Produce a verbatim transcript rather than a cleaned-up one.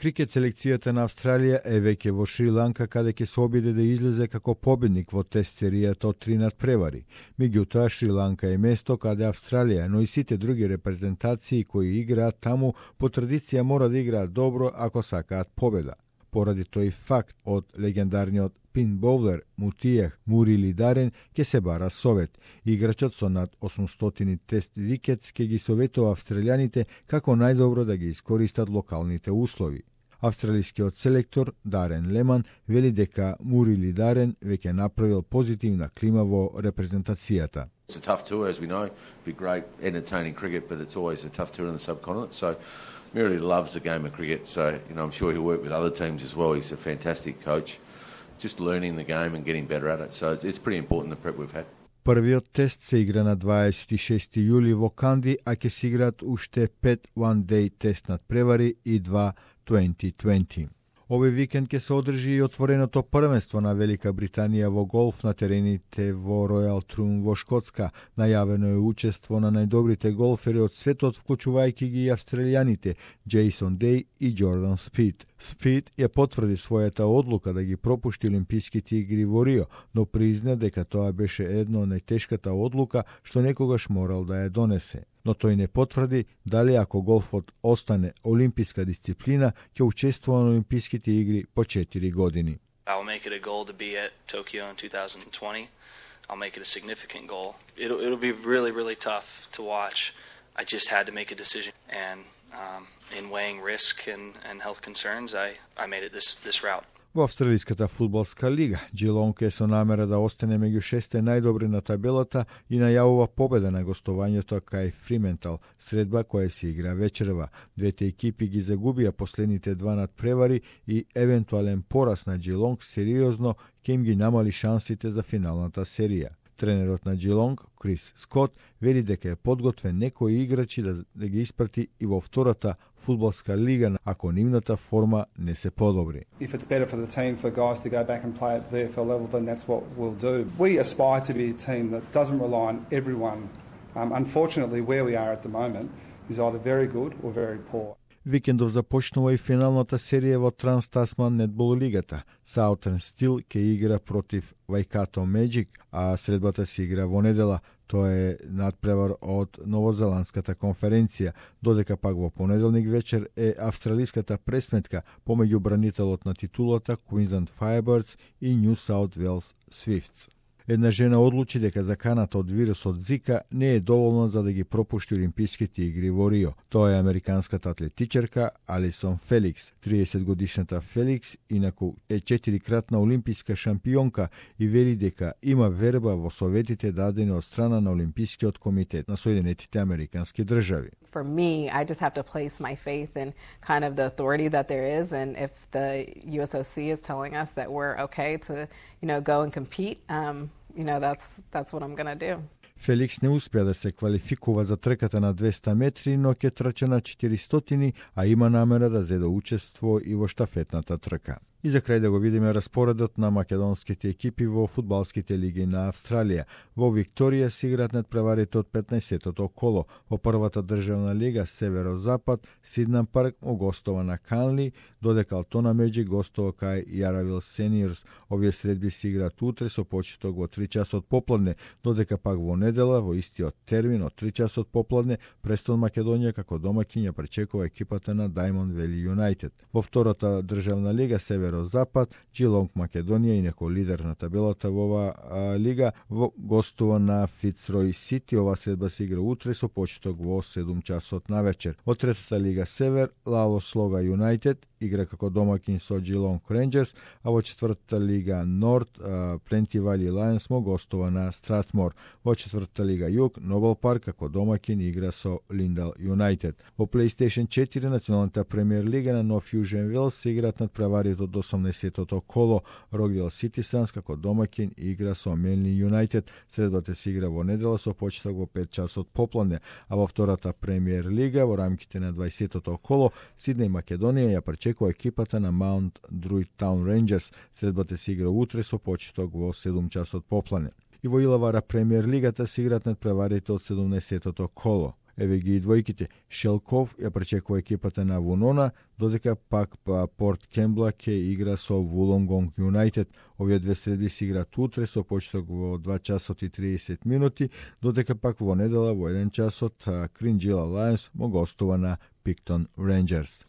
Крикет селекцијата на Австралија е веќе во Шри-Ланка, каде ќе се обиде да излезе како победник во тест серијата од три надпревари. Меѓутоа, Шри-Ланка е место каде Австралија, но и сите други репрезентации кои играат таму, по традиција мора да играат добро ако сакаат победа. Поради тој факт, од легендарниот пин боулер Мутиех Мурилидарен ќе се бара совет. Играчот со над осумстотини тест викетс ќе ги советува австралијаните како најдобро да ги искористат локалните услови. Австралискиот селектор Дарен Леман вели дека Мурилидарен веќе направил позитивна клима во репрезентацијата. It's a tough tour, as we know. Be great, entertaining cricket, but it's always a tough tour in the subcontinent. So Murray loves the game of cricket. So you know, I'm sure he'll work with other teams as well. He's a fantastic coach. Just learning the game and getting better at it. So it's pretty important the prep we've had. Првиот тест се игра на дваесет и шести јули во Канди, а ќе се играат уште пет one-day тест надпревари и два twenty twenty. Овој викенд ќе се одржи и отвореното првенство на Велика Британија во голф на терените во Ројал Трун во Шкотска. Најавено е учество на најдобрите голфери од светот, вклучувајќи ги и австралијаните Джейсон Деј и Џордан Спид. Спид ја потврди својата одлука да ги пропушти Олимписките игри во Рио, но призна дека тоа беше една од најтешката одлука што некогаш морал да ја донесе. Но тој не потврди дали ако голфот остане олимписка дисциплина, ќе учествува на Олимписките игри по четири години. I'll make it a goal to be at Tokyo in twenty twenty. I'll make it a significant goal. It'll it'll be really really tough to watch. I just had to make a decision, and um, in weighing risk and, and health concerns, I, I made it this this route. Во Австралиската фудбалска лига, Джилонг е со намера да остане меѓу шесте најдобри на табелата и најавува победа на гостувањето кај Фриментал, средба која се игра вечерва. Двете екипи ги загубија последните два надпревари и евентуален пораз на Джилонг сериозно ќе им ги намали шансите за финалната серија. Тренерот на Джилонг, Крис Скот, вели дека е подготвен некои играчи да, да ги испрати и во втората фудбалска лига ако нивната форма не се подобри. If it's better for the team for guys to go back and play at V F L level, then that's what we'll do. We aspire to be a team that doesn't rely on everyone. Um, unfortunately, where we are at the moment is either very good or very poor. Викендов започнува и финалната серија во Транс-Тасман нетбол лигата. Southern Steel ќе игра против Waikato Magic, а средбата се игра во недела. Тоа е надпревар од Новозеландската конференција, додека пак во понеделник вечер е австралиската пресметка помеѓу бранителот на титулата Queensland Firebirds и New South Wales Swifts. Една жена одлучи дека заканата од вирусот Зика не е доволна за да ги пропушти Олимписките игри во Рио. Тоа е американската атлетичарка Алисон Феликс. триесет годишната Феликс инаку е четирикратна олимписка шампионка и вели дека има верба во советите дадени од страна на Олимпискиот комитет на Соединетите Американски држави. For me, I just have to place my faith in kind of the authority that there is, and if the U S O C is telling us that we're okay to, you know, go and compete, um, you know, that's that's what I'm going to do. Феликс не успеа да се квалификува за трката на двеста метри, но ќе трча на четиристотини, а има намера да зеде учество и во штафетната трка. И за крај да го видиме распоредот на македонските екипи во фудбалските лиги на Австралија. Во Викторија се играат надпреварите од петнаесеттото коло. Во првата државна лига Северозапад, Сиднам Парк гостува на Канли, додека Алтона Меджик гостува кај Јаравил Сениорс. Овие средби се играат утре со почеток во три часот попладне, додека пак во недела во истиот термин од три часот попладне Престон Македонија како домаќин ја пречекува екипата на Diamond Valley United. Во втората државна лига Север Запад, Джилонг Македонија, инаку лидер на табелата во ова а, лига, во гостува на Фицрој Сити. Ова средба се игра утре со почеток во седум часот навечер. Во третата лига Север, Лало Слога Юнайтед игра како домаќин со Джилонг Рейнџерс, а во четвртата лига Норд, Пленти Вали Лајонс му гостува на Стратмор. Во четвртата лига Југ, Нобел Парк како домаќин игра со Линдал Юнайтед. Во PlayStation четири, националната премиер лига на Нов Јужен Велс се играат надпреварите од осумдесеттото коло. Рогдел Ситисанс како домаќин игра со Менли Юнайтед. Средбата се игра во недела со почеток во пет часот попладне, а во втората премиер лига во рамките на дваесеттото коло Сиднеј Македонија ја пречекува екипата на Маунт Друид Таун Рейнџерс. Средбата се игра утре со почеток во седум часот попладне. И во Илавара премиер лигата се играат надпреварите од седумдесеттото коло. еве ги и двојките. Шелков ја пречекува екипата на Вунона, додека пак па Порт Кембла ќе игра со Вулонгонг Юнайтед. Овие две средби се играат утре со почеток во два часот и триесет минути, додека пак во недела во еден часот Кринџила Лајонс му гостува на Пиктон Рейнџерс.